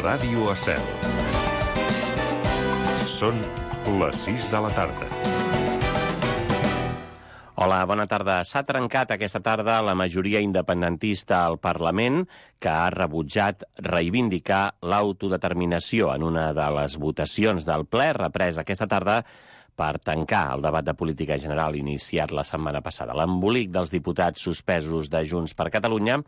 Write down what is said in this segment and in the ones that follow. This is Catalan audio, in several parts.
Ràdio Estel. Són les 6 de la tarda. Hola, bona tarda. S'ha trencat aquesta tarda la majoria independentista al Parlament, que ha rebutjat reivindicar l'autodeterminació en una de les votacions del ple represa aquesta tarda per tancar el debat de política general iniciat la setmana passada. L'embolic dels diputats suspesos de Junts per Catalunya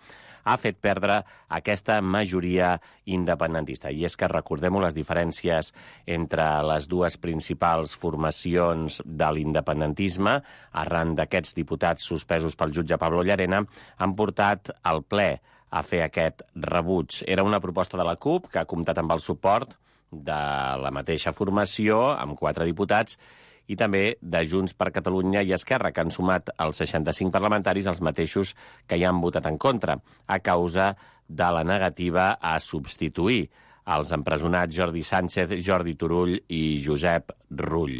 ha fet perdre aquesta majoria independentista. I és que recordem-ho, les diferències entre les dues principals formacions de l'independentisme, arran d'aquests diputats suspesos pel jutge Pablo Llarena, han portat al ple a fer aquest rebuig. Era una proposta de la CUP que ha comptat amb el suport de la mateixa formació, amb 4 diputats, i també de Junts per Catalunya i Esquerra, que han sumat els 65 parlamentaris, els mateixos que hi han votat en contra, a causa de la negativa a substituir els empresonats Jordi Sánchez, Jordi Turull i Josep Rull.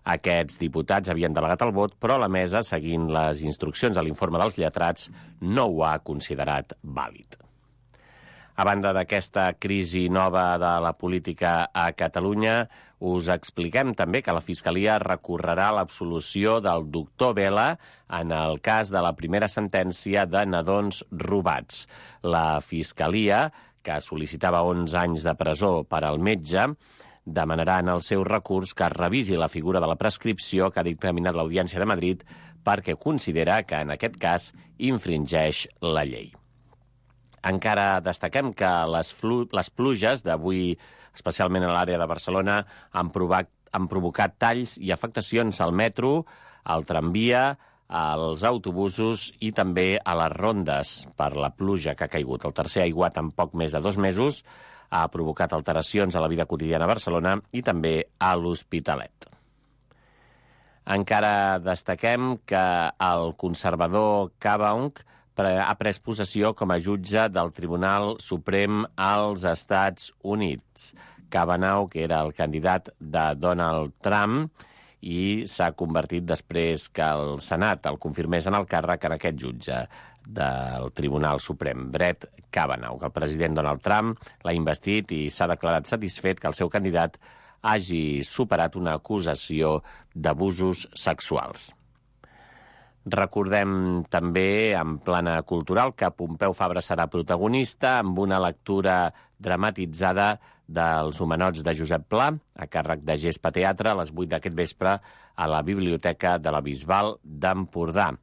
Aquests diputats havien delegat el vot, però la mesa, seguint les instruccions de l'informe dels lletrats, no ho ha considerat vàlid. A banda d'aquesta crisi nova de la política a Catalunya, us expliquem també que la Fiscalia recorrerà l'absolució del doctor Vela en el cas de la primera sentència de nadons robats. La Fiscalia, que sol·licitava 11 anys de presó per al metge, demanarà en el seu recurs que es revisi la figura de la prescripció que ha dictaminat l'Audiència de Madrid perquè considera que en aquest cas infringeix la llei. Encara destaquem que les pluges d'avui, especialment a l'àrea de Barcelona, han provocat talls i afectacions al metro, al tramvia, als autobusos i també a les rondes per la pluja que ha caigut. El tercer aiguat en poc més de 2 mesos ha provocat alteracions a la vida quotidiana a Barcelona i també a l'Hospitalet. Encara destaquem que el conservador Kabaung ha pres possessió com a jutge del Tribunal Suprem als Estats Units. Kavanaugh, que era el candidat de Donald Trump, i s'ha convertit després que el Senat el confirmés en el càrrec en aquest jutge del Tribunal Suprem, Brett Kavanaugh. El president Donald Trump l'ha investit i s'ha declarat satisfet que el seu candidat hagi superat una acusació d'abusos sexuals. Recordem també, en plana cultural, que Pompeu Fabra serà protagonista amb una lectura dramatitzada dels Homenots de Josep Pla, a càrrec de Gespa Teatre, a les 8 d'aquest vespre, a la Biblioteca de la Bisbal d'Empordà.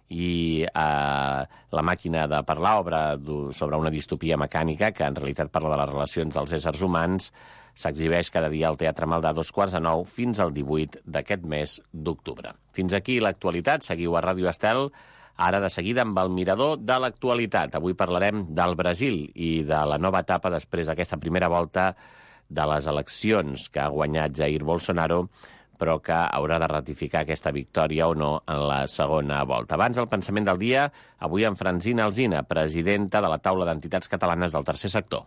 I La màquina de parlar, obra sobre una distopia mecànica, que en realitat parla de les relacions dels éssers humans, s'exhibeix cada dia al Teatre Maldà a 8:45 fins al 18 d'aquest mes d'octubre. Fins aquí l'actualitat. Seguiu a Ràdio Estel, ara de seguida amb el mirador de l'actualitat. Avui parlarem del Brasil i de la nova etapa després d'aquesta primera volta de les eleccions que ha guanyat Jair Bolsonaro, però que haurà de ratificar aquesta victòria o no en la segona volta. Abans, el pensament del dia, avui amb Francina Alsina, presidenta de la Taula d'Entitats Catalanes del Tercer Sector.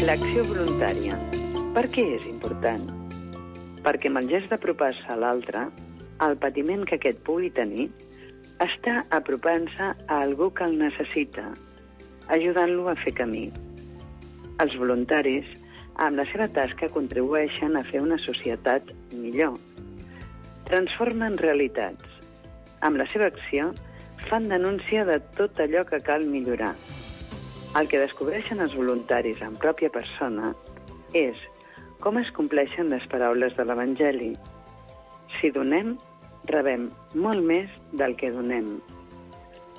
L'acció voluntària. Per què és important? Perquè amb el gest d'apropar-se a l'altre, el patiment que aquest pugui tenir, està apropant-se a algú que el necessita, ajudant-lo a fer camí. Els voluntaris, amb la seva tasca, contribueixen a fer una societat millor. Transformen realitats. Amb la seva acció, fan denúncia de tot allò que cal millorar. El que descobreixen els voluntaris en pròpia persona és com es compleixen les paraules de l'Evangeli. Si donem, rebem molt més del que donem.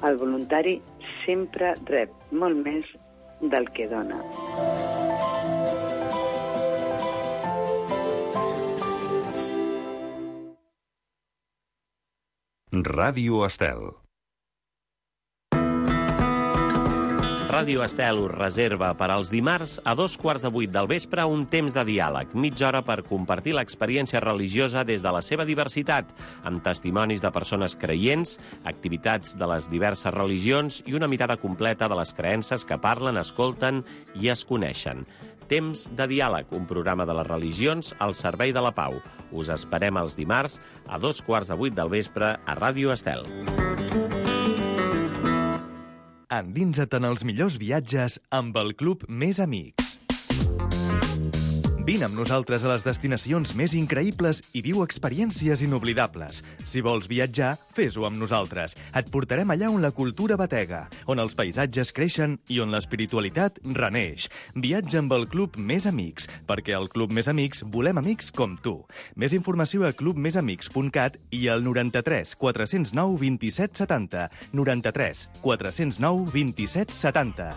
El voluntari sempre rep molt més del que dona. Ràdio Estel. Ràdio Estel us reserva per als dimarts a 7:15 del vespre un temps de diàleg, mitja hora per compartir l'experiència religiosa des de la seva diversitat, amb testimonis de persones creients, activitats de les diverses religions i una mirada completa de les creences que parlen, escolten i es coneixen. Temps de diàleg, un programa de les religions al servei de la pau. Us esperem els dimarts a 7:15 del vespre a Ràdio Estel. Endinsa't en els millors viatges amb el Club Més Amics. Vine amb nosaltres a les destinacions més increïbles i viu experiències inoblidables. Si vols viatjar, fes-ho amb nosaltres. Et portarem allà on la cultura batega, on els paisatges creixen i on l'espiritualitat reneix. Viatja amb el Club Més Amics, perquè al Club Més Amics volem amics com tu. Més informació a clubmesamics.cat i al 93 409 27 70. 93 409 27 70.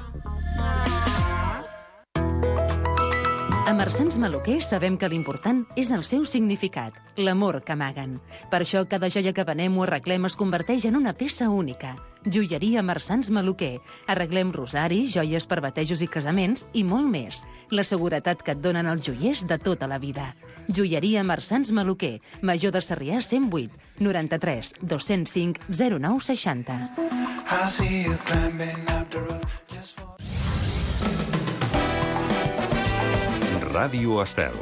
A Marsans Maluquer sabem que l'important és el seu significat, l'amor que amaguen. Per això cada joia que venem o arreglem es converteix en una peça única. Joieria Marsans Maluquer. Arreglem rosaris, joies per batejos i casaments i molt més. La seguretat que et donen els joiers de tota la vida. Joieria Marsans Maluquer. Major de Sarrià 108 93 205 09 60. Ràdio Estel.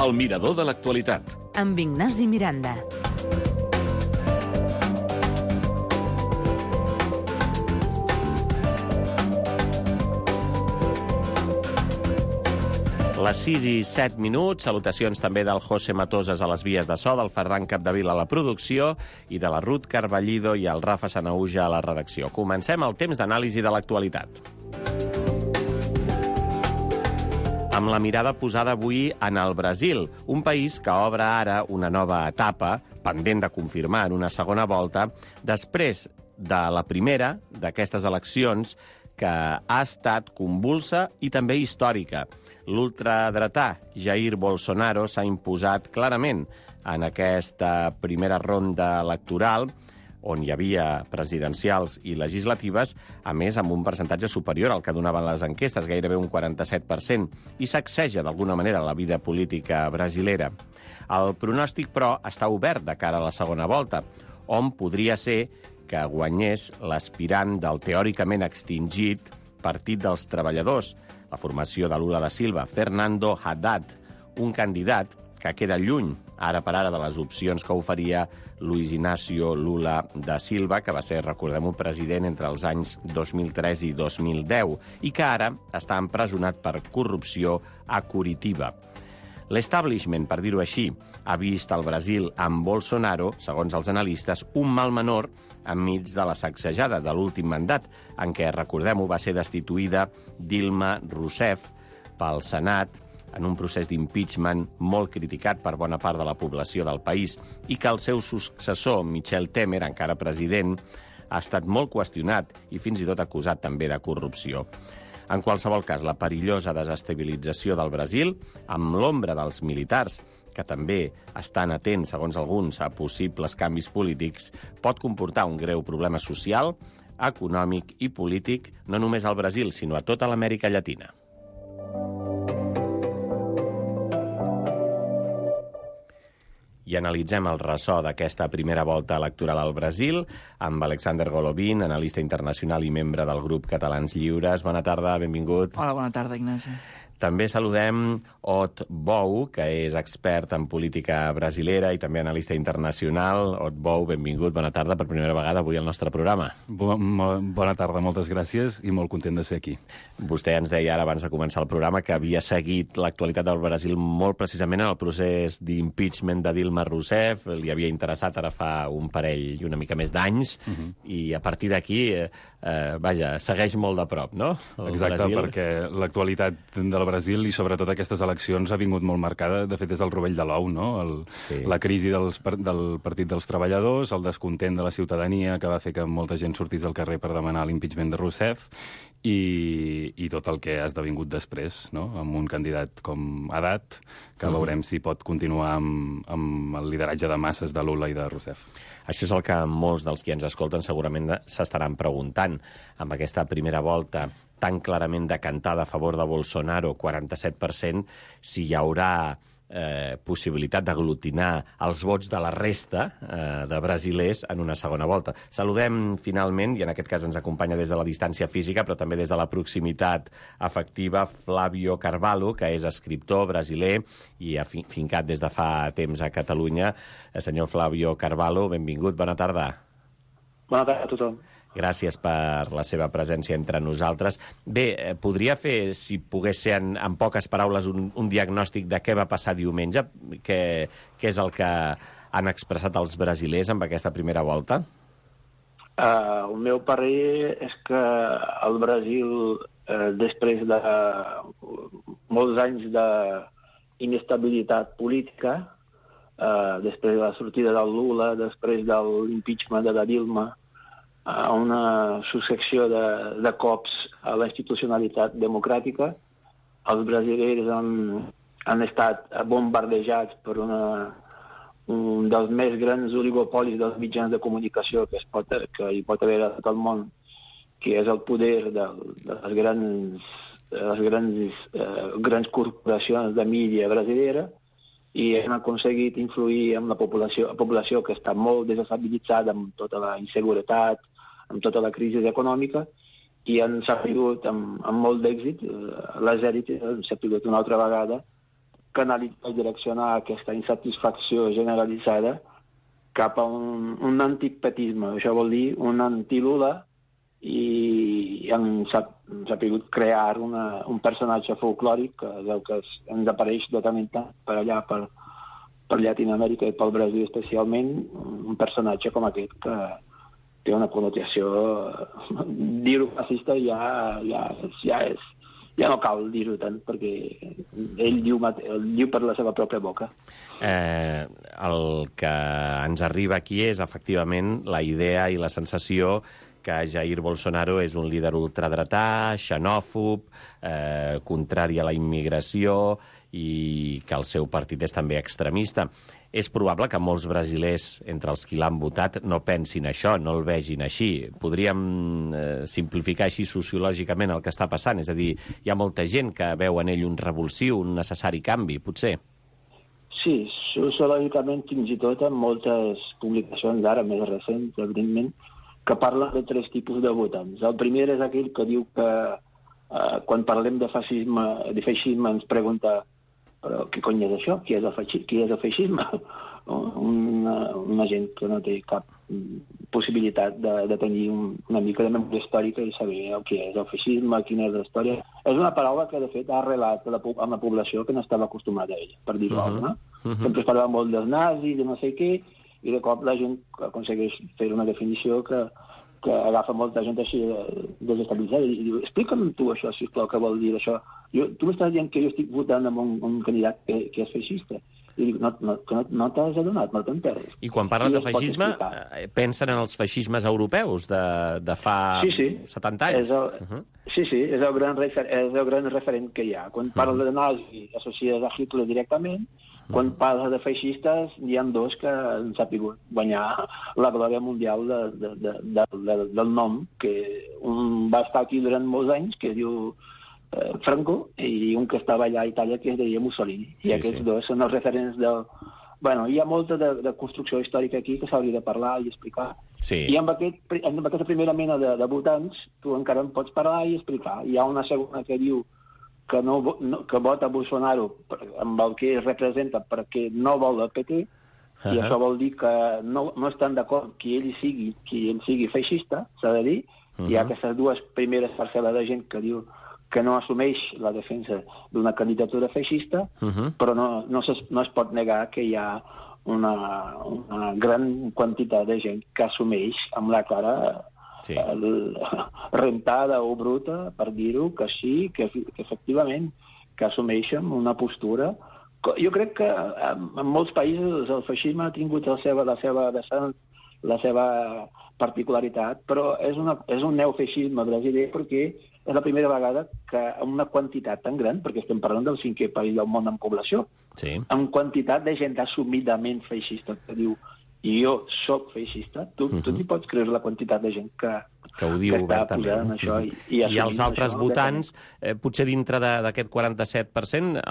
El mirador de l'actualitat. Amb Ignasi Miranda. Les 6 i 7 minuts, salutacions també del José Matoses a les vies de so, del Ferran Capdevila a la producció i de la Ruth Carballido i el Rafa Sanahuja a la redacció. Comencem el temps d'anàlisi de l'actualitat. Amb la mirada posada avui en el Brasil, un país que obre ara una nova etapa, pendent de confirmar en una segona volta, després de la primera d'aquestes eleccions que ha estat convulsa i també històrica. L'ultradretà Jair Bolsonaro s'ha imposat clarament en aquesta primera ronda electoral, on hi havia presidencials i legislatives, a més amb un percentatge superior al que donaven les enquestes, gairebé un 47%, i sacseja d'alguna manera la vida política brasilera. El pronòstic, però, està obert de cara a la segona volta, on podria ser que guanyés l'aspirant del teòricament extingit Partit dels Treballadors, la formació de Lula da Silva, Fernando Haddad, un candidat que queda lluny, ara per ara, de les opcions que oferia Luis Inácio Lula da Silva, que va ser, recordem-ho, president entre els anys 2003 i 2010, i que ara està empresonat per corrupció a Curitiba. L'establishment, per dir-ho així, ha vist el Brasil amb Bolsonaro, segons els analistes, un mal menor enmig de la sacsejada de l'últim mandat, en què, recordem-ho, va ser destituïda Dilma Rousseff pel Senat, en un procés d'impeachment molt criticat per bona part de la població del país i que el seu successor, Michel Temer, encara president, ha estat molt qüestionat i fins i tot acusat també de corrupció. En qualsevol cas, la perillosa desestabilització del Brasil, amb l'ombra dels militars, que també estan atents, segons alguns, a possibles canvis polítics, pot comportar un greu problema social, econòmic i polític, no només al Brasil, sinó a tota l'Amèrica Llatina. I analitzem el ressò d'aquesta primera volta electoral al Brasil amb Alexander Golovin, analista internacional i membre del grup Catalans Lliures. Bona tarda, benvingut. Hola, bona tarda, Ignasi. També saludem Ot Bou, que és expert en política brasilera i també analista internacional. Ot Bou, benvingut, bona tarda, per primera vegada avui al nostre programa. Bona tarda, moltes gràcies i molt content de ser aquí. Vostè ens deia ara, abans de començar el programa, que havia seguit l'actualitat del Brasil molt precisament en el procés d'impeachment de Dilma Rousseff, li havia interessat ara fa un parell i una mica més d'anys, i a partir d'aquí, segueix molt de prop, no? Exacte, perquè l'actualitat del Brasil, i sobretot aquestes eleccions ha vingut molt marcada, de fet, des del rovell de l'ou, no? La crisi del Partit dels Treballadors, el descontent de la ciutadania, que va fer que molta gent sortís al carrer per demanar l'impeachment de Rousseff, i tot el que ha esdevingut després, no? Amb un candidat com Haddad, que veurem si pot continuar amb el lideratge de masses de Lula i de Rousseff. Això és el que molts dels qui ens escolten segurament s'estaran preguntant. Amb aquesta primera volta tan clarament decantada a favor de Bolsonaro, 47%, si hi haurà possibilitat d'aglutinar els vots de la resta de brasilers en una segona volta. Saludem finalment, i en aquest cas ens acompanya des de la distància física, però també des de la proximitat afectiva, Flávio Carvalho, que és escriptor brasiler i fincat des de fa temps a Catalunya. Senyor Flávio Carvalho, benvingut, bona tarda. Bona tarda a tothom. Gràcies per la seva presència entre nosaltres. Bé, podria fer, si pogués ser en poques paraules, un diagnòstic de què va passar diumenge? Què és el que han expressat els brasilers amb aquesta primera volta? El meu parer és que el Brasil, després de molts anys d'inestabilitat política, després de la sortida del Lula, després de l'impeachment de la Dilma, una successió de cops a la institucionalitat democràtica. Els brasilers han estat bombardejats per un dels més grans oligopolis dels mitjans de comunicació que hi pot haver a tot el món, que és el poder de les grans corporacions de mídia brasilera, i han aconseguit influir en la població que està molt desestabilitzada amb tota la inseguretat, amb tota la crisi econòmica, i han sabut amb molt d'èxit, les èlites han sabut una altra vegada canalitzar i direccionar aquesta insatisfacció generalitzada cap a un antipetisme. Això vol dir un anti-Lula, i han sabut crear un personatge folclòric que és el que ens apareix de tant en tant per allà, per Llatinoamèrica i pel Brasil especialment, un personatge com aquest que té una connotació, dir-ho fascista ja no cal dir-ho tant, perquè ell diu per la seva pròpia boca. El que ens arriba aquí és, efectivament, la idea i la sensació que Jair Bolsonaro és un líder ultradretà, xenòfob, contrari a la immigració, i que el seu partit és també extremista. És probable que molts brasilers, entre els qui l'han votat, no pensin això, no el vegin així. Podríem simplificar així sociològicament el que està passant? És a dir, hi ha molta gent que veu en ell un revulsiu, un necessari canvi, potser? Sí, sociològicament, fins i tot en moltes publicacions d'ara més recents, evidentment, que parlen de tres tipus de votants. El primer és aquell que diu que quan parlem de feixisme ens pregunta però què cony és això? Qui és el feixisme? Una gent que no té cap possibilitat de tenir una mica de memòria històrica i saber el que és el feixisme, quina és la història. És una paraula que, de fet, ha arrelat amb la població que no estava acostumada a ella, per dir-ho alguna. Sempre es parlava molt dels nazis, de no sé què, i de cop la gent aconsegueix fer una definició que agafa molta gent així desestabilitzada i diu, explica'm tu això, sisplau, què vol dir això. Tu m'estàs dient que jo estic votant amb un candidat que és feixista. I dic, no t'has adonat, no t'enteres. I quan parlen de feixisme, pensen en els feixismes europeus de fa 70 anys? Sí, és el gran referent que hi ha. Quan parla de nazi, associes a Hitler directament. Quan parla de feixistes, n'hi ha dos que han sabut guanyar la glòria mundial del nom, que un va estar aquí durant molts anys, que es diu Franco, i un que estava allà a Itàlia, que es deia Mussolini. I aquests dos són els referents del... Bueno, hi ha molta de construcció històrica aquí que s'hauria de parlar i explicar. I amb aquesta primera mena de votants, tu encara en pots parlar i explicar. Hi ha una segona que diu que vota Bolsonaro amb el que representa perquè no vol el PT, i això vol dir que no estan d'acord que ell sigui feixista, s'ha de dir. Hi ha aquestes dues primeres parcel·les de gent que diu que no assumeix la defensa d'una candidatura feixista, però no es pot negar que hi ha una gran quantitat de gent que assumeix amb la cara rentada o bruta, per dir-ho, que sí, que efectivament, assumeixen una postura. Jo crec que en molts països el feixisme ha tingut la seva particularitat, però és un neofeixisme brasiler perquè és la primera vegada que amb una quantitat tan gran, perquè estem parlant del 5è país del món en població, amb quantitat de gent assumidament feixista, que diu jo soc feixista, tu t'hi pots creure la quantitat de gent que ho diu obertament. Això I els altres votants, potser dintre d'aquest 47%,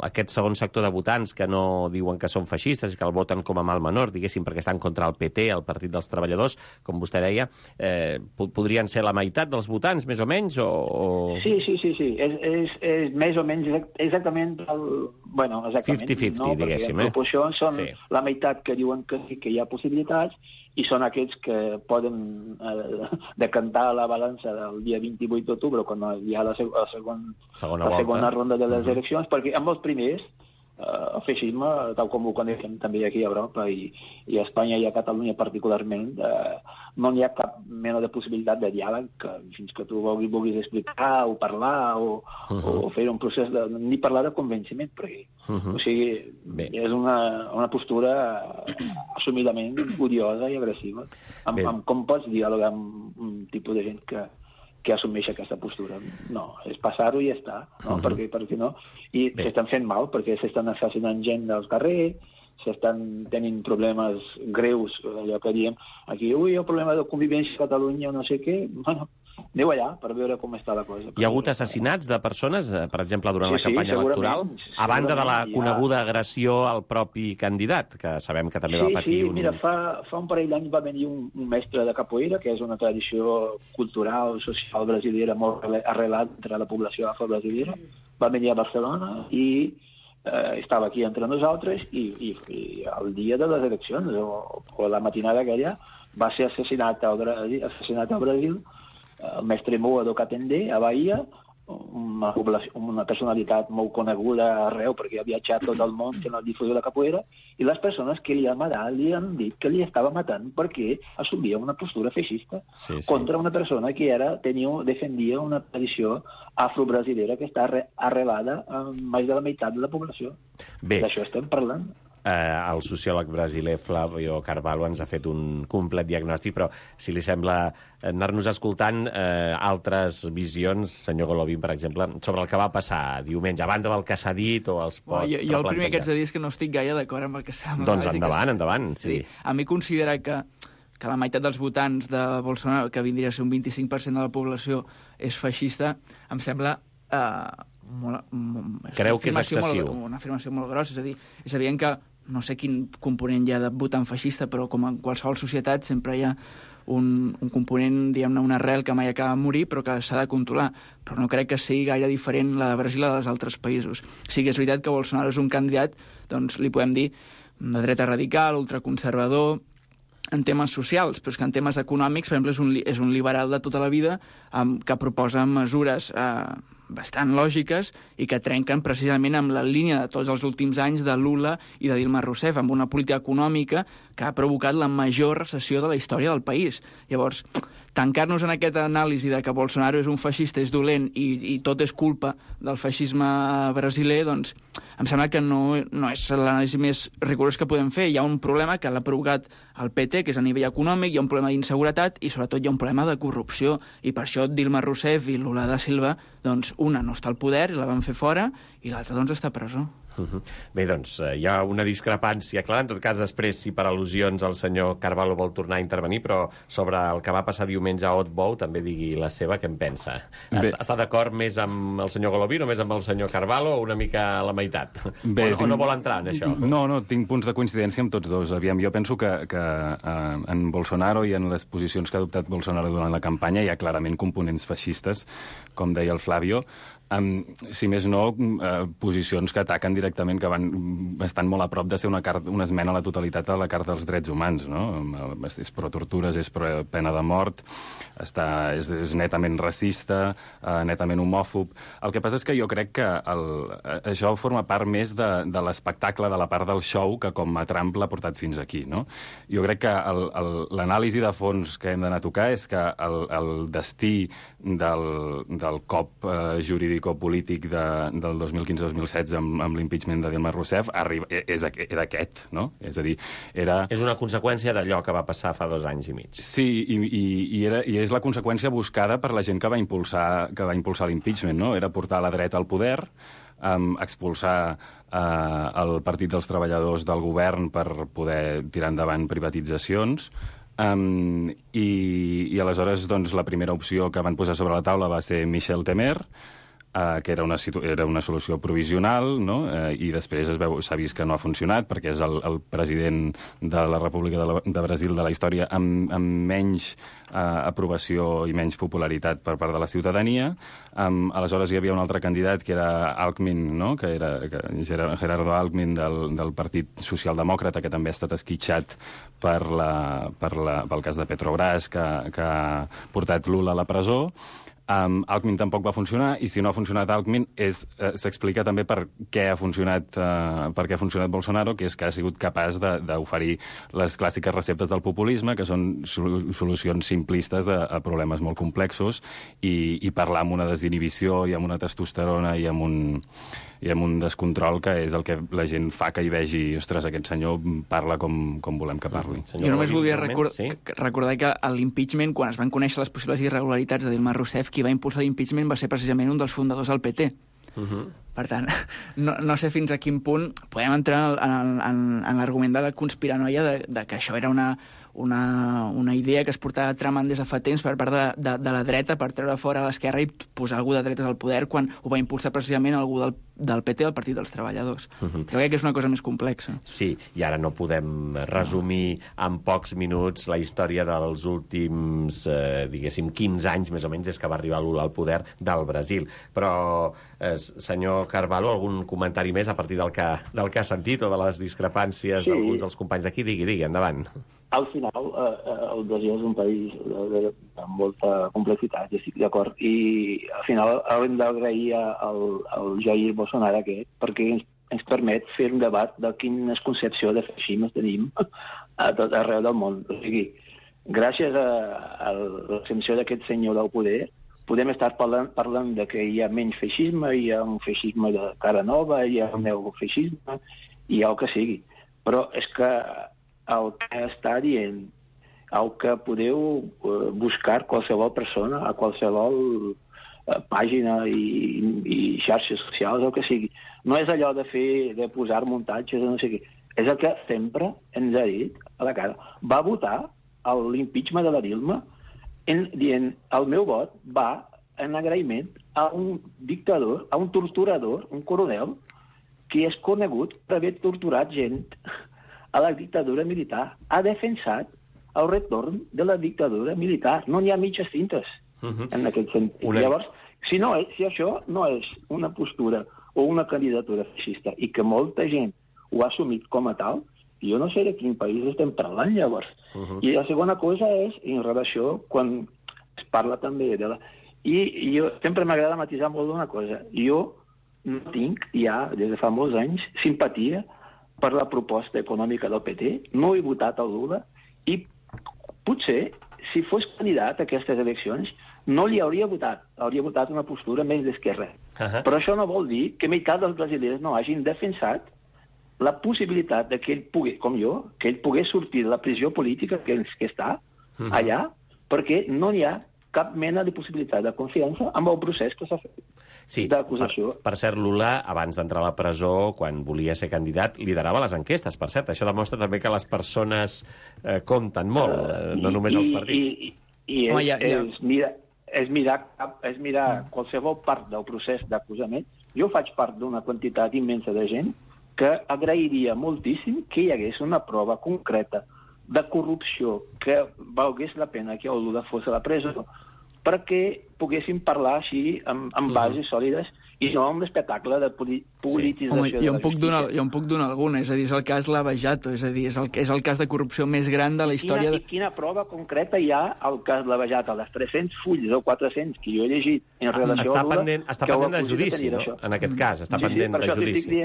aquest segon sector de votants que no diuen que són feixistes i que el voten com a mal menor, diguéssim, perquè estan contra el PT, el Partit dels Treballadors, com vostè deia, podrien ser la meitat dels votants, més o menys? Sí. És més o menys exactament 50-50, no? diguéssim. En proporció són la meitat que diuen que sí que hi ha possibilitats i són aquests que poden decantar la balança del dia 28 d'octubre, quan hi ha la segona ronda de les eleccions, perquè amb els primers el feixisme, tal com ho coneixem també aquí a Europa i a Espanya i a Catalunya particularment, no hi ha cap mena de possibilitat de diàleg fins que tu vulguis explicar o parlar o fer un procés ni parlar de convenciment, perquè o sigui, és una postura assumidament odiosa i agressiva. Com pots dialogar amb un tipus de gent que assumeix aquesta postura? No, és passar-ho i ja està, no? Perquè no? I s'estan fent mal, perquè s'estan assassinant gent dels carrers, s'estan tenint problemes greus, allò que diem aquí, el problema de convivència a Catalunya, no sé què, bueno, aneu allà per veure com està la cosa. Hi ha hagut assassinats de persones, per exemple, durant la campanya electoral, a banda de la coneguda agressió al propi candidat, que sabem que també va patir un... Sí, mira, fa un parell d'anys va venir un mestre de capoeira, que és una tradició cultural, social brasilera molt arrelat entre la població afro-brasilera, va venir a Barcelona i estava aquí entre nosaltres i el dia de les eleccions, o la matinada aquella, va ser assassinat al Brasil el mestre Moa do Catendé, a Bahia, una personalitat molt coneguda arreu perquè ha viatjat tot el món fent la difusió de la capoeira, i les persones que li han matat li han dit que li estava matant perquè assumia una postura feixista contra una persona que defendia una tradició afro-brasilera que està arrelada en més de la meitat de la població. D'això estem parlant. El sociòleg brasiler Flávio Carvalho ens ha fet un complet diagnòstic, però si li sembla anar-nos escoltant altres visions, senyor Golovin, per exemple, sobre el que va passar diumenge, a banda del que s'ha dit o els pot replantejar. Jo el primer que haig de dir és que no estic gaire d'acord amb el que s'ha... Doncs endavant, sí. A mi considerar que la meitat dels votants de Bolsonaro, que vindria a ser un 25% de la població, és feixista, em sembla... Creu que és excessiu? Una afirmació molt grossa, és a dir, és evident que no sé quin component hi ha de votant feixista, però com en qualsevol societat sempre hi ha un component, diguem-ne, una arrel que mai acaba de morir, però que s'ha de controlar. Però no crec que sigui gaire diferent la de Brasil a dels altres països. Sí que és veritat que Bolsonaro és un candidat, doncs li podem dir, de dreta radical, ultraconservador, en temes socials, però és que en temes econòmics, per exemple, és un liberal de tota la vida que proposa mesures bastant lògiques i que trenquen precisament amb la línia de tots els últims anys de Lula i de Dilma Rousseff, amb una política econòmica que ha provocat la major recessió de la història del país. Llavors, tancar-nos en aquesta anàlisi de que Bolsonaro és un feixista, és dolent i tot és culpa del feixisme brasiler, doncs em sembla que no és l'anàlisi més rigorós que podem fer. Hi ha un problema que l'ha provocat el PT, que és a nivell econòmic, hi ha un problema d'inseguretat i sobretot hi ha un problema de corrupció. I per això Dilma Rousseff i Lula da Silva, doncs una no està al poder i la van fer fora i l'altra doncs està a presó. Bé, doncs, hi ha una discrepància clara. En tot cas, després, si per al·lusions el senyor Carvalho vol tornar a intervenir, però sobre el que va passar diumenge a Otbou també digui la seva, què en pensa? Està d'acord més amb el senyor Golovin o més amb el senyor Carvalho o una mica a la meitat? O no vol entrar en això? No, tinc punts de coincidència amb tots dos. Aviam, jo penso que en Bolsonaro i en les posicions que ha adoptat Bolsonaro durant la campanya hi ha clarament components feixistes, com deia el Flavio, si més no, posicions que ataquen directament, que estan molt a prop de ser una esmena a la totalitat a la Carta dels Drets Humans, no? És pro tortures, és pro pena de mort, és netament racista, netament homòfob. El que passa és que jo crec que això forma part més de l'espectacle, de la part del show, que com a Trump l'ha portat fins aquí, no? Jo crec que l'anàlisi de fons que hem d'anar a tocar és que el destí del cop jurídic jurídico-polític del 2015-2016 amb l'impeachment de Dilma Rousseff era aquest, no? És a dir, És una conseqüència d'allò que va passar fa 2 anys i mig. Sí, i és la conseqüència buscada per la gent que va impulsar l'impeachment, no? Era portar la dreta al poder, expulsar el Partit dels Treballadors del govern per poder tirar endavant privatitzacions, i aleshores doncs, la primera opció que van posar sobre la taula va ser Michel Temer, que era una solució provisional, no? I després s'ha vist que no ha funcionat perquè és el president de la República de Brasil de la història amb menys aprovació i menys popularitat per part de la ciutadania. Aleshores hi havia un altre candidat que era Alckmin, no? que Gerardo Alckmin del Partit Socialdemòcrata, que també ha estat esquitxat pel cas de Petrobras, que ha portat Lula a la presó. Alckmin tampoc va funcionar, i si no ha funcionat Alckmin s'explica també per què ha funcionat Bolsonaro, que és que ha sigut capaç d'oferir les clàssiques receptes del populisme, que són solucions simplistes a problemes molt complexos, i parlar amb una desinhibició i amb una testosterona i amb un descontrol que és el que la gent fa que hi vegi, ostres, aquest senyor parla com volem que parli. Jo només volia recordar que a l'impeachment, quan es van conèixer les possibles irregularitats de Dilma Rousseff, qui va impulsar l'impeachment va ser precisament un dels fundadors del PT. Per tant, no sé fins a quin punt podem entrar en l'argument de la conspiranoia de que això era una idea que es portava tramant des de fa temps per part de la dreta per treure fora l'esquerra i posar algú de dretes al poder, quan ho va impulsar precisament algú del PT, el Partit dels Treballadors. Jo crec que és una cosa més complexa. Sí, i ara no podem resumir en pocs minuts la història dels últims, diguéssim, 15 anys, més o menys, des que va arribar Lula al poder del Brasil. Però, senyor Carvalho, algun comentari més a partir del que ha sentit o de les discrepàncies d'alguns dels companys d'aquí? Digui, endavant. Al final, el Brasil és un país amb molta complexitat, ja estic d'acord, i al final haurem d'agrair al Jair Bolsonaro aquest, perquè ens permet fer un debat de quina concepció de feixisme tenim a tot arreu del món. O sigui, gràcies a l'exempció d'aquest senyor del poder, podem estar parlant de que hi ha menys feixisme, hi ha un feixisme de cara nova, hi ha un neofeixisme, hi ha el que sigui. Però és que el que està dient, el que podeu buscar qualsevol persona a qualsevol pàgina i xarxes socials, el que sigui. No és allò de posar muntatges, no sé què. És el que sempre ens ha dit a la cara. Va votar l'impeachment de la Dilma dient el meu vot va en agraïment a un dictador, a un torturador, un coronel, que és conegut per haver torturat gent a la dictadura militar. Ha defensat el retorn de la dictadura militar. No n'hi ha mitges tintes en aquest sentit. Llavors, si això no és una postura o una candidatura feixista i que molta gent ho ha assumit com a tal, jo no sé de quin país estem parlant, llavors. I la segona cosa és, en relació, quan es parla també de la... I jo sempre m'agrada matisar molt d'una cosa. Jo no tinc ja, des de fa molts anys, simpatia per la proposta econòmica del PT, no he votat el Lula, i potser, si fos candidat a aquestes eleccions, no li hauria votat una postura més d'esquerra. Però això no vol dir que meitat dels brasilers no hagin defensat la possibilitat que ell pugui, com jo, que ell pogués sortir de la pressió política que està allà, perquè no hi ha cap mena de possibilitat de confiança amb el procés que s'ha fet d'acusació. Per cert, Lula, abans d'entrar a la presó, quan volia ser candidat, liderava les enquestes, per cert. Això demostra també que les persones compten molt, no només els partits. És mirar qualsevol part del procés d'acusament. Jo faig part d'una quantitat immensa de gent que agrairia moltíssim que hi hagués una prova concreta de corrupció que valgués la pena que el Lula fos a la presó perquè poguéssim parlar així amb bases sòlides i no amb l'espectacle de politització de la justícia. Jo en puc donar alguna, és a dir, és el cas Lava Jato, és a dir, és el cas de corrupció més gran de la història... Quina prova concreta hi ha al cas Lava Jato? Les 300 fulls o 400 que jo he llegit en relació a Lula... Està pendent de judici, no? En aquest cas, està pendent de judici.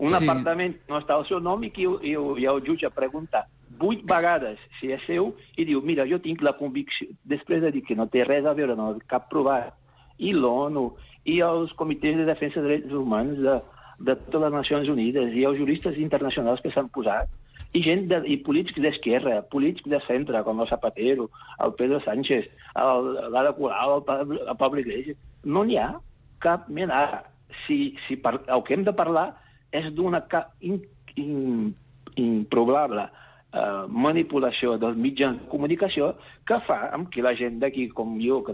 Un apartament no està al seu nom i el jutge pregunta 8 vegades si és seu i diu, mira, jo tinc la convicció, després de dir que no té res a veure, no té cap provat i l'ONU, i els comitès de defensa de drets humans de totes les Nacions Unides, i els juristes internacionals que s'han posat, i i polítics d'esquerra, polítics de centre, com el Zapatero, el Pedro Sánchez, l'Ada Colau, el Pablo Iglesias. No n'hi ha cap mena. El que hem de parlar és d'una improbable manipulació dels mitjans de comunicació que fa amb que la gent d'aquí, com jo, que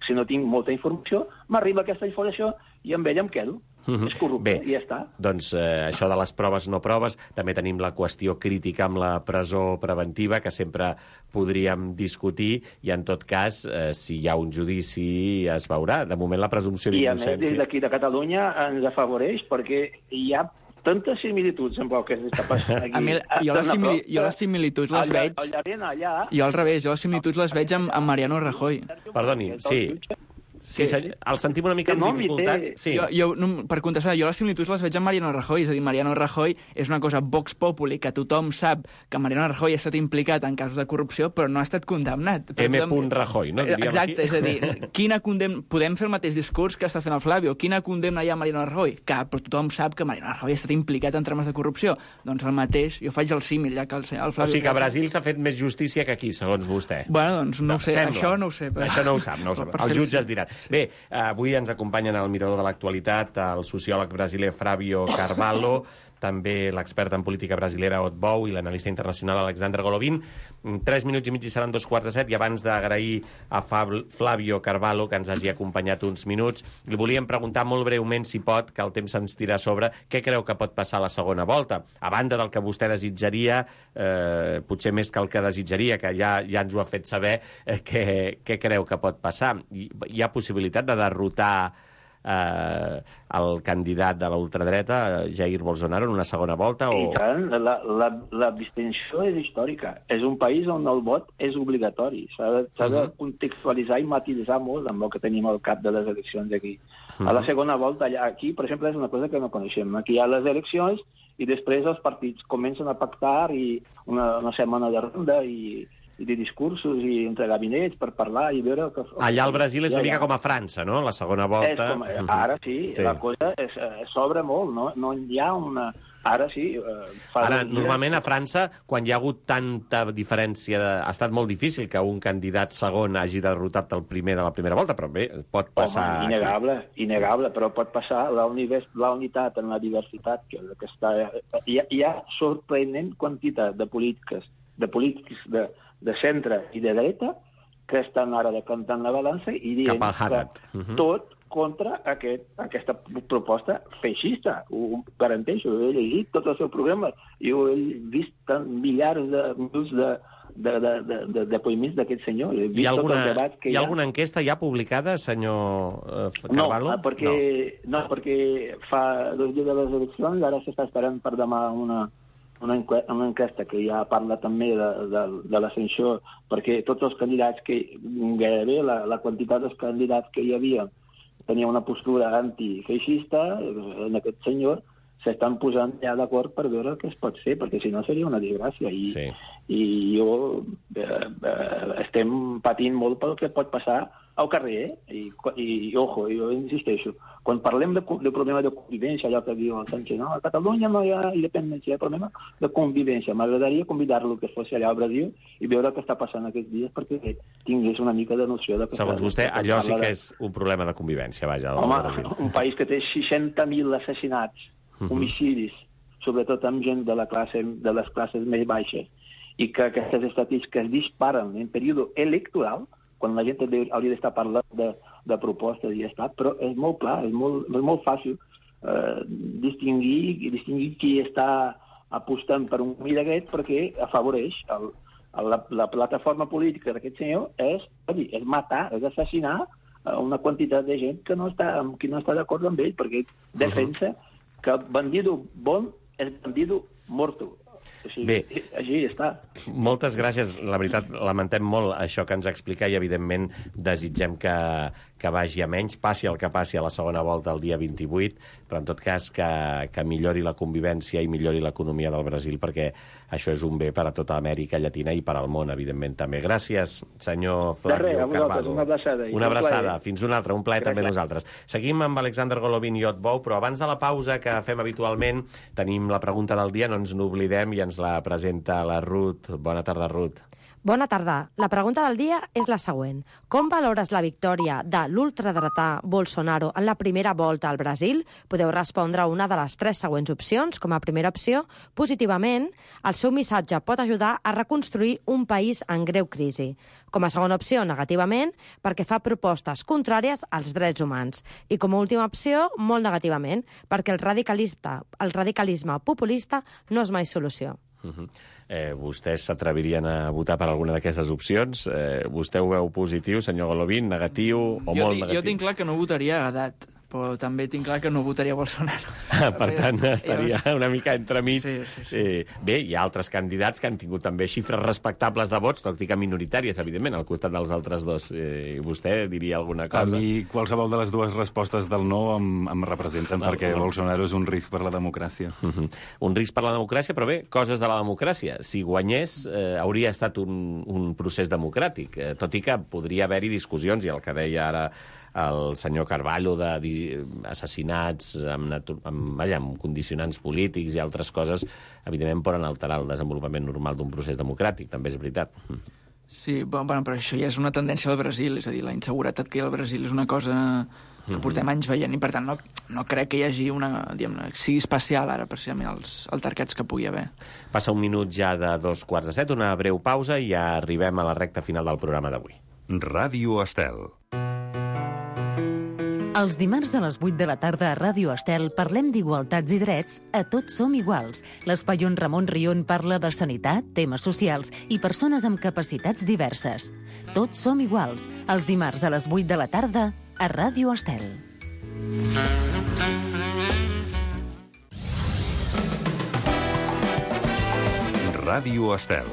si no tinc molta informació, m'arriba aquesta informació i amb ella em quedo. És corrupte, i ja està. Doncs això de les proves no proves, també tenim la qüestió crítica amb la presó preventiva, que sempre podríem discutir, i en tot cas, si hi ha un judici, es veurà. De moment, la presumpció d'innocència... I a més, des d'aquí de Catalunya ens afavoreix, perquè hi ha tantes similituds amb el que s'està passant aquí. Jo les similituds les veig... Jo al revés, jo les similituds les veig amb Mariano Rajoy. Perdoni, sí. Sí, el sentim una mica amb dificultats. Sí. Per contestar, jo les similituds les veig amb Mariano Rajoy. És a dir, Mariano Rajoy és una cosa vox populi, que tothom sap que Mariano Rajoy ha estat implicat en casos de corrupció, però no ha estat condemnat. M. Rajoy, no? Exacte, és a dir, podem fer el mateix discurs que està fent el Flavio. Quina condemna hi ha a Mariano Rajoy? Cap, però tothom sap que Mariano Rajoy ha estat implicat en trames de corrupció. Doncs el mateix, jo faig el símil, ja que el Flavio... O sigui que a Brasil s'ha fet més justícia que aquí, segons vostè. Bueno, doncs no ho sé, això no ho sé. Això no ho sap, els jutges diran. Bé, avui ens acompanyen al Mirador de l'Actualitat el sociòleg brasiler Flavio Carvalho, també l'expert en política brasilera Ot Bou i l'analista internacional Alexandre Golovin. 3 minuts i mig i seran 2:45, i abans d'agrair a Flavio Carvalho que ens hagi acompanyat uns minuts, li volíem preguntar molt breument, si pot, que el temps se'ns tira a sobre, què creu que pot passar a la segona volta? A banda del que vostè desitjaria, potser més que el que desitjaria, que ja ens ho ha fet saber, què creu que pot passar? Hi ha possibilitat de derrotar el candidat de la ultradreta, Jair Bolsonaro, en una segona volta? I tant, la distinció és històrica. És un país on el vot és obligatori. S'ha de contextualitzar i matisar molt amb el que tenim al cap de les eleccions aquí. A la segona volta, aquí, per exemple, és una cosa que no coneixem. Aquí hi ha les eleccions i després els partits comencen a pactar i una setmana de ronda i de discursos i entre gabinets per parlar i veure... Allà al Brasil és una mica com a França, no? La segona volta... Ara sí, la cosa s'obre molt, no? No hi ha una... Ara sí... Ara, normalment a França, quan hi ha hagut tanta diferència... Ha estat molt difícil que un candidat segon hagi derrotat el primer de la primera volta, però bé, pot passar... Innegable, però pot passar la unitat en la diversitat, que està... Hi ha sorprenent quantitat de polítics de centre i de dreta que estan ara decantant la balança i dient que tot contra aquesta proposta feixista. Ho garanteixo, he llegit tot el seu programa i ho he vist milers de depoiments d'aquest senyor. Hi ha alguna enquesta ja publicada, senyor Carvalho? No, perquè fa 2 dies de les eleccions, ara s'està esperant per demà una enquesta que ja parla també de l'ascensió, perquè tots els candidats gairebé la quantitat dels candidats que hi havia tenia una postura antifeixista en aquest senyor, s'estan posant ja d'acord per veure què es pot fer, perquè si no seria una desgràcia. I jo estem patint molt pel que pot passar al carrer, i ojo, jo insisteixo, quan parlem de problema de convivència, allò que diu el Sánchez, no, a Catalunya no hi ha independència, hi ha problema de convivència. M'agradaria convidar-lo que fos allà al Brasil i veure què està passant aquests dies perquè tingués una mica de noció de... Segons vostè, allò sí que és un problema de convivència, vaja. Home, un país que té 60.000 assassinats, homicidis, sobretot amb gent de les classes més baixes, i que aquestes estadístiques disparen en període electoral, quan la gent hauria d'estar parlant de propostes i ja està, però és molt clar, és molt fàcil distingir qui està apostant per un camí d'aquest perquè afavoreix la plataforma política d'aquest senyor és matar, és assassinar una quantitat de gent que no està d'acord amb ell, perquè defensa que el bandido bon és bandido morto. Bé, així està. Moltes gràcies. La veritat, lamentem molt això que ens explica i, evidentment, desitgem que que vagi a menys, passi el que passi a la segona volta el dia 28, però en tot cas que millori la convivència i millori l'economia del Brasil, perquè això és un bé per a tota Amèrica Llatina i per al món, evidentment, també. Gràcies, senyor Flavio Carvalho. Una abraçada. Una abraçada. Fins una altra. Un plaer també nosaltres. Seguim amb Alexander Golovin i Ot Bou, però abans de la pausa que fem habitualment tenim la pregunta del dia, no ens n'oblidem, i ens la presenta la Ruth. Bona tarda, Ruth. Bona tarda. La pregunta del dia és la següent. Com valores la victòria de l'ultradretà Bolsonaro en la primera volta al Brasil? Podeu respondre una de les 3 següents opcions. Com a primera opció, positivament, el seu missatge pot ajudar a reconstruir un país en greu crisi. Com a segona opció, negativament, perquè fa propostes contràries als drets humans. I com a última opció, molt negativament, perquè el radicalisme populista no és mai solució. Vostès s'atrevirien a votar per alguna d'aquestes opcions? Vostè ho veu positiu, senyor Golovin, negatiu o molt negatiu? Jo tinc clar que no votaria a Haddad, però també tinc clar que no votaria Bolsonaro. Per tant, estaria una mica entremig. Sí. Bé, hi ha altres candidats que han tingut també xifres respectables de vots, tot i que minoritàries, evidentment, al costat dels altres dos. Vostè diria alguna cosa? A mi, qualsevol de les dues respostes del no em representen, perquè Bolsonaro és un risc per la democràcia. Un risc per la democràcia, però bé, coses de la democràcia. Si guanyés, hauria estat un procés democràtic, tot i que podria haver-hi discussions, i el que deia ara el senyor Carvalho, d'assassinats amb condicionants polítics i altres coses, evidentment poden alterar el desenvolupament normal d'un procés democràtic, també és veritat. Sí, bueno, però això ja és una tendència al Brasil, és a dir, la inseguretat que hi ha al Brasil és una cosa que portem anys veient, i per tant no crec que hi hagi sigui especial ara, precisament, els altercats que pugui haver. Passa un minut ja de 2:45, una breu pausa i ja arribem a la recta final del programa d'avui. Ràdio Estel. Els dimarts a les 8 de la tarda a Ràdio Estel parlem d'igualtats i drets a Tots som iguals. L'espai on Ramon Rion parla de sanitat, temes socials i persones amb capacitats diverses. Tots som iguals, els dimarts a les 8 de la tarda a Ràdio Estel. Ràdio Estel.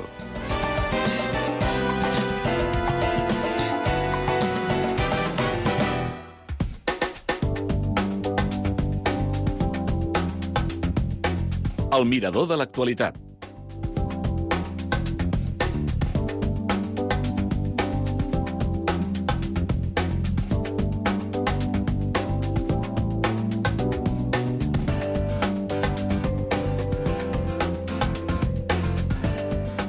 El mirador de l'actualitat.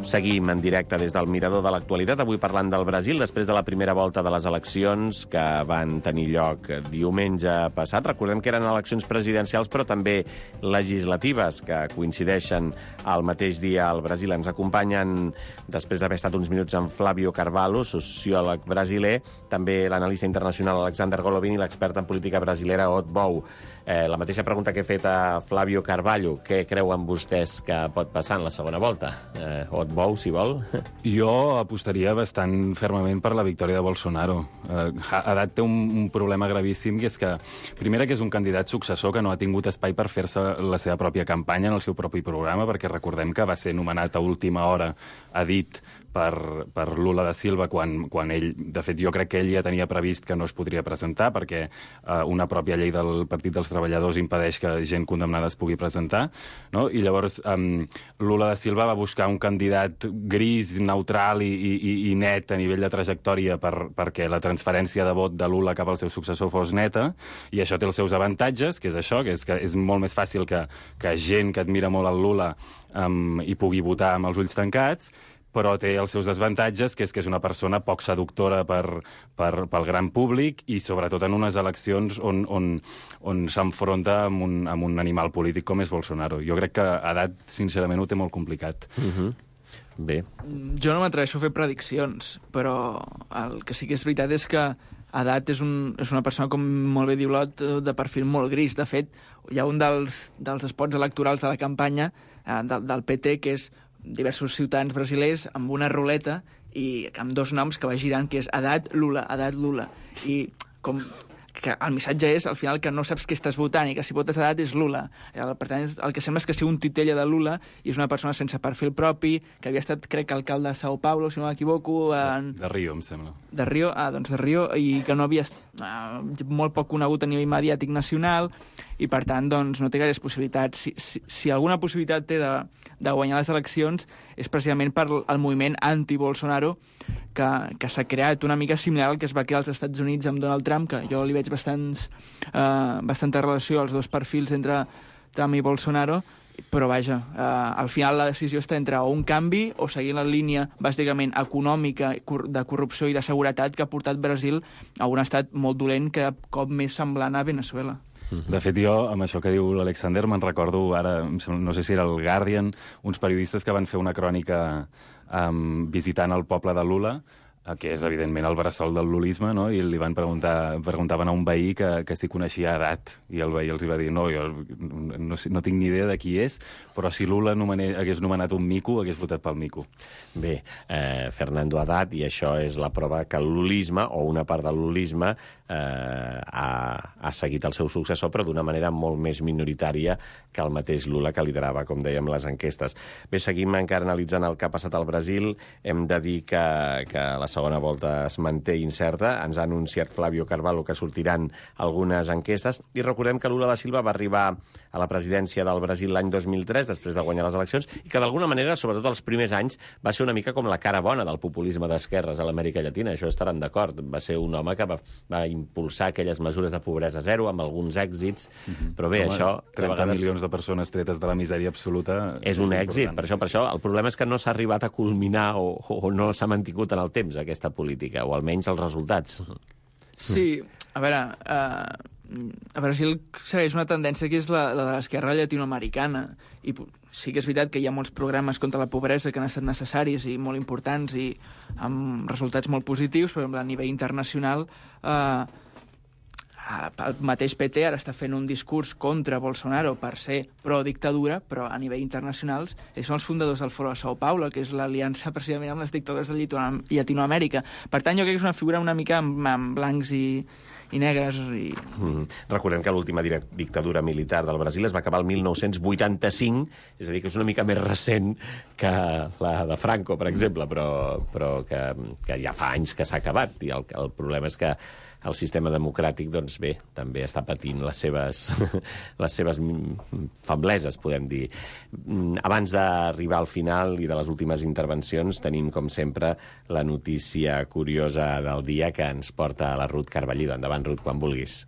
Seguim en directe des del Mirador de l'Actualitat, avui parlant del Brasil, després de la primera volta de les eleccions que van tenir lloc diumenge passat. Recordem que eren eleccions presidencials, però també legislatives, que coincideixen al mateix dia al Brasil. Ens acompanyen, després d'haver estat uns minuts amb Flavio Carvalho, sociòleg brasiler, també l'analista internacional Alexander Golovin i l'expert en política brasilera Ot Bou. La mateixa pregunta que he fet a Flavio Carvalho. Què creuen vostès que pot passar en la segona volta? Ot Bou, si vol. Jo apostaria bastant fermament per la victòria de Bolsonaro. Haddad té un problema gravíssim, que és que, primera, que és un candidat successor que no ha tingut espai per fer-se la seva pròpia campanya en el seu propi programa, perquè recordem que va ser nomenat a última hora, ha dit, per Lula da Silva, quan ell, de fet, jo crec que ell ja tenia previst que no es podria presentar, perquè una pròpia llei del Partit dels Treballadors impedeix que gent condemnada es pugui presentar, no? I llavors Lula da Silva va buscar un candidat gris, neutral i net a nivell de trajectòria perquè la transferència de vot de Lula cap al seu successor fos neta, i això té els seus avantatges, que és això, que és molt més fàcil que gent que admira molt el Lula hi pugui votar amb els ulls tancats, però té els seus desavantatges, que és una persona poc seductora pel gran públic i sobretot en unes eleccions on s'enfronta amb un animal polític com és Bolsonaro. Jo crec que Haddad, sincerament, ho té molt complicat. Bé. Jo no m'atreveixo a fer prediccions, però el que sí que és veritat és que Haddad és una persona, com molt bé diu l'Ot, de perfil molt gris. De fet, hi ha un dels spots electorals de la campanya del PT, que és diversos ciutadans brasilers amb una ruleta i amb dos noms que va girant, que és Haddad Lula, i com que el missatge és, al final, que no saps què estàs votant i que si votes a edat és Lula. Per tant, el que sembla és que sigui un titella de Lula i és una persona sense perfil propi, que havia estat, crec, alcalde de Sao Paulo, si no m'equivoco. De Rio, em sembla. De Rio, doncs de Rio, i que no havia molt poc conegut a nivell mediàtic nacional, i per tant doncs, no té gaires possibilitats. Si alguna possibilitat té de guanyar les eleccions és precisament per el moviment anti-Bolsonaro que s'ha creat, una mica similar al que es va crear als Estats Units amb Donald Trump, que jo li veig bastanta relació als dos perfils entre Trump i Bolsonaro, però vaja, al final la decisió està entre un canvi o seguir la línia bàsicament econòmica, de corrupció i de seguretat que ha portat Brasil a un estat molt dolent, cada cop més semblant a Venezuela. De fet, jo, amb això que diu l'Alexander, me'n recordo ara, no sé si era el Guardian, uns periodistes que van fer una crònica visitant el poble de Lula, que és, evidentment, el bressol del lulisme, no? I li preguntaven a un veí que si coneixia edat, i el veí els va dir, no, jo no tinc ni idea de qui és, però si Lula hagués nomenat un mico, hagués votat pel mico. Bé, Fernando Haddad, i això és la prova que el lulisme, o una part del lulisme, ha seguit el seu successor, però d'una manera molt més minoritària que el mateix Lula, que liderava, com dèiem, les enquestes. Bé, seguim encara analitzant el que ha passat al Brasil. Hem de dir que la segona volta es manté incerta. Ens ha anunciat Flavio Carvalho que sortiran algunes enquestes. I recordem que Lula da Silva va arribar a la presidència del Brasil l'any 2003, després de guanyar les eleccions, i que d'alguna manera, sobretot els primers anys, va ser una mica com la cara bona del populisme d'esquerres a l'Amèrica Llatina. Això estaran d'acord. Va ser un home que va impulsar aquelles mesures de pobresa zero, amb alguns èxits, però bé, això... 30 milions de persones tretes de la misèria absoluta... És un èxit, per això. El problema és que no s'ha arribat a culminar o no s'ha mantingut en el temps, aquesta política, o almenys els resultats. Sí, a veure, a Brasil segueix una tendència que és la de l'esquerra llatinoamericana, i sí que és veritat que hi ha molts programes contra la pobresa que han estat necessaris i molt importants i amb resultats molt positius, però a nivell internacional el mateix PT ara està fent un discurs contra Bolsonaro per ser pro-dictadura, però a nivell internacional ells són els fundadors del Foro de Sao Paulo, que és l'aliança precisament amb les dictadures de Llatinoamèrica. Per tant, jo crec que és una figura una mica amb blancs i negres. Recordem que l'última dictadura militar del Brasil es va acabar el 1985, és a dir, que és una mica més recent que la de Franco, per exemple, però que ja fa anys que s'ha acabat, i el problema és que el sistema democràtic, doncs bé, també està patint les seves febleses, podem dir. Abans d'arribar al final i de les últimes intervencions, tenim, com sempre, la notícia curiosa del dia que ens porta a la Ruth Carballido. Endavant, Ruth, quan vulguis.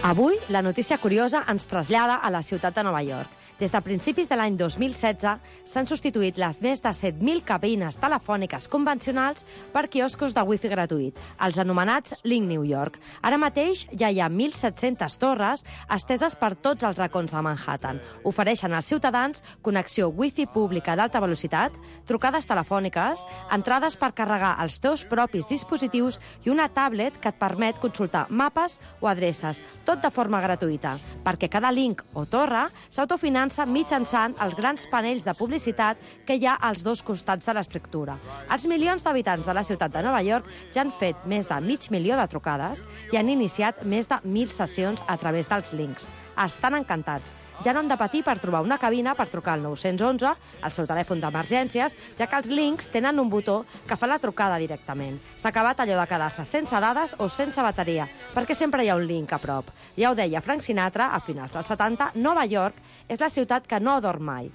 Avui, la notícia curiosa ens trasllada a la ciutat de Nova York. Des de principis de l'any 2016 s'han substituït les més de 7.000 cabines telefòniques convencionals per quioscos de wifi gratuït, els anomenats Link New York. Ara mateix ja hi ha 1.700 torres esteses per tots els racons de Manhattan. Ofereixen als ciutadans connexió wifi pública d'alta velocitat, trucades telefòniques, entrades per carregar els teus propis dispositius i una tablet que et permet consultar mapes o adreces, tot de forma gratuïta, perquè cada link o torre s'autofinança mitjançant els grans panells de publicitat que hi ha als dos costats de l'estructura. Els milions d'habitants de la ciutat de Nova York ja han fet més de 500.000 de trucades i han iniciat més de 1.000 sessions a través dels links. Estan encantats. Ja no han de patir per trobar una cabina per trucar al 911, al seu telèfon d'emergències, ja que els links tenen un botó que fa la trucada directament. S'ha acabat allò de quedar-se sense dades o sense bateria, perquè sempre hi ha un link a prop. Ja ho deia Frank Sinatra, a finals dels 70, Nova York és la ciutat que no dorm mai.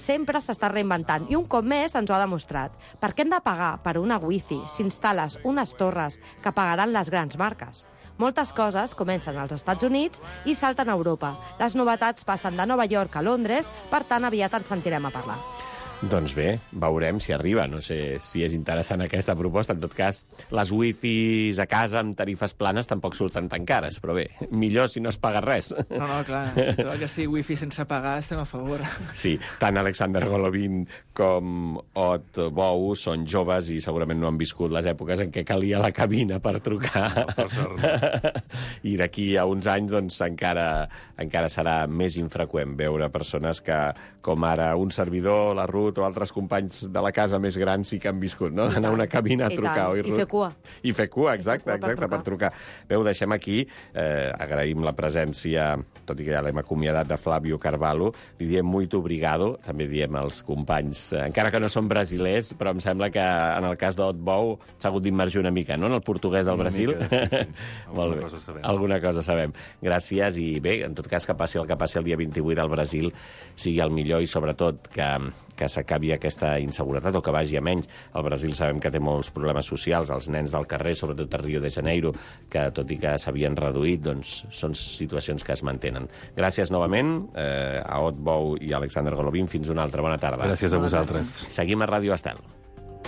Sempre s'està reinventant i un cop més ens ho ha demostrat. Per què hem de pagar per una wifi si instal·les unes torres que pagaran les grans marques? Moltes coses comencen als Estats Units i salten a Europa. Les novetats passen de Nova York a Londres, per tant aviat ens sentirem a parlar. Doncs bé, veurem si arriba. No sé si és interessant aquesta proposta. En tot cas, les wifis a casa amb tarifes planes tampoc surten tan cares, però bé, millor si no es paga res. No, clar, si tot el que sigui wifi sense pagar estem a favor. Sí, tant Alexander Golovin com Ot Bou són joves i segurament no han viscut les èpoques en què calia la cabina per trucar. No, per sort. I d'aquí a uns anys doncs, encara serà més infreqüent veure persones que, com ara un servidor, la Ruth, Ruth o altres companys de la casa més grans sí que han viscut, no? Anar a una cabina a trucar, oi, Ruth? I fer cua. I fer cua, exacte, per trucar. Bé, ho deixem aquí. Agraïm la presència, tot i que ja l'hem acomiadat, de Flávio Carvalho. Li diem muito obrigado, també diem als companys, encara que no són brasilers, però em sembla que en el cas d'Otbou s'ha hagut d'immergir una mica, no?, en el portuguès del Brasil. Sí. Alguna cosa sabem. Gràcies i bé, en tot cas, que passi el que passi el dia 28 al Brasil sigui el millor i sobretot que s'acabi aquesta inseguretat o que vagi a menys. El Brasil sabem que té molts problemes socials, els nens del carrer, sobretot a Rio de Janeiro, que tot i que s'havien reduït, doncs són situacions que es mantenen. Gràcies novament a Otbou i a Alexander Golovin. Fins una altra bona tarda. Gràcies a vosaltres. Seguim a Ràdio Estel.